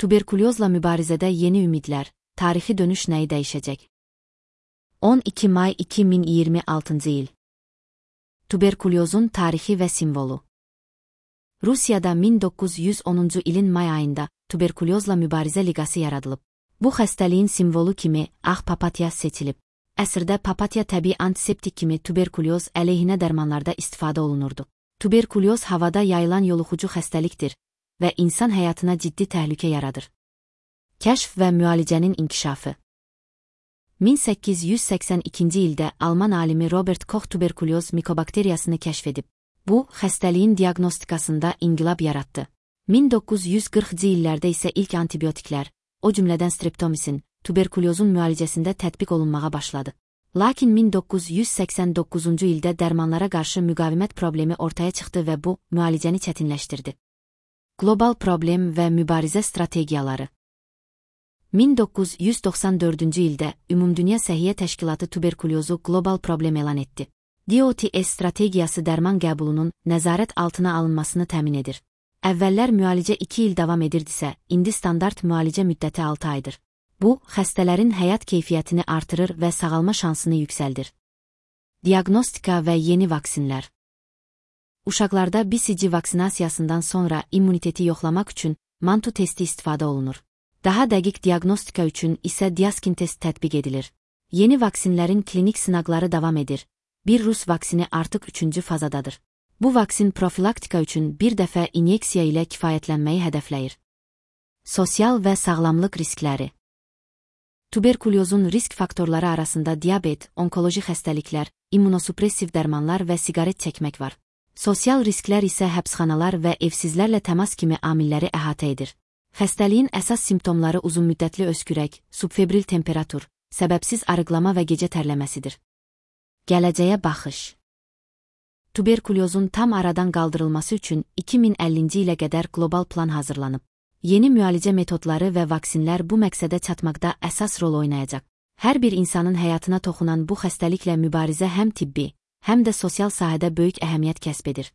Tuberkulyozla mübarizədə yeni ümidlər, tarixi dönüş nəyi dəyişəcək? 12 may 2026 il. Tuberkulyozun tarixi və simvolu. Rusiyada 1910-cu ilin may ayında tuberkulyozla mübarizə liqası yaradılıb. Bu xəstəliyin simvolu kimi ağ papatya seçilib. Əsrdə papatya təbii antiseptik kimi tuberkulyoz əleyhinə dərmanlarda istifadə olunurdu. Tuberkulyoz havada yayılan yoluxucu xəstəlikdir və insan həyatına ciddi təhlükə yaradır. Kəşf və müalicənin inkişafı. 1882-ci ildə Alman alimi Robert Koch tuberkulyoz mikobakteriyasını kəşf edib. Bu, xəstəliyin diaqnostikasında inqilab yaratdı. 1940-cı illərdə isə ilk antibiotiklər, o cümlədən streptomisin, tuberkulyozun müalicəsində tətbiq olunmağa başladı. Lakin 1989-cu ildə dərmanlara qarşı müqavimət problemi ortaya çıxdı və bu, müalicəni çətinləşdirdi. Qlobal problem və mübarizə strategiyaları. 1994-cü ildə Ümumdünya Səhiyyə Təşkilatı tuberkulyozu qlobal problem elan etdi. DOTS strategiyası dərman qəbulunun nəzarət altına alınmasını təmin edir. Əvvəllər müalicə 2 il davam edirdisə, indi standart müalicə müddəti 6 aydır. Bu, xəstələrin həyat keyfiyyətini artırır və sağalma şansını yüksəldir. Diaqnostika və yeni vaksinlər. Uşaqlarda BCG vaksinasiyasından sonra immuniteti yoxlamaq üçün Mantu testi istifadə olunur. Daha dəqiq diaqnostika üçün isə Diaskin test tətbiq edilir. Yeni vaksinlərin klinik sınaqları davam edir. Bir Rus vaksini artıq 3-cü fazadadır. Bu vaksin profilaktika üçün bir dəfə inyeksiya ilə kifayətlənməyi hədəfləyir. Sosial və sağlamlıq riskləri. Tuberkulyozun risk faktorları arasında diabet, onkoloji xəstəliklər, immunosupressiv dərmanlar və siqaret çəkmək var. Sosial risklər isə həbsxanalar və evsizlərlə təmas kimi amilləri əhatə edir. Xəstəliyin əsas simptomları uzunmüddətli öskürək, subfebril temperatur, səbəbsiz arıqlama və gecə tərləməsidir. Gələcəyə baxış. Tuberkulyozun tam aradan qaldırılması üçün 2050-ci ilə qədər qlobal plan hazırlanıb. Yeni müalicə metodları və vaksinlər bu məqsədə çatmaqda əsas rol oynayacaq. Hər bir insanın həyatına toxunan bu xəstəliklə mübarizə həm tibbi, həm də sosial sahədə böyük əhəmiyyət kəsb edir.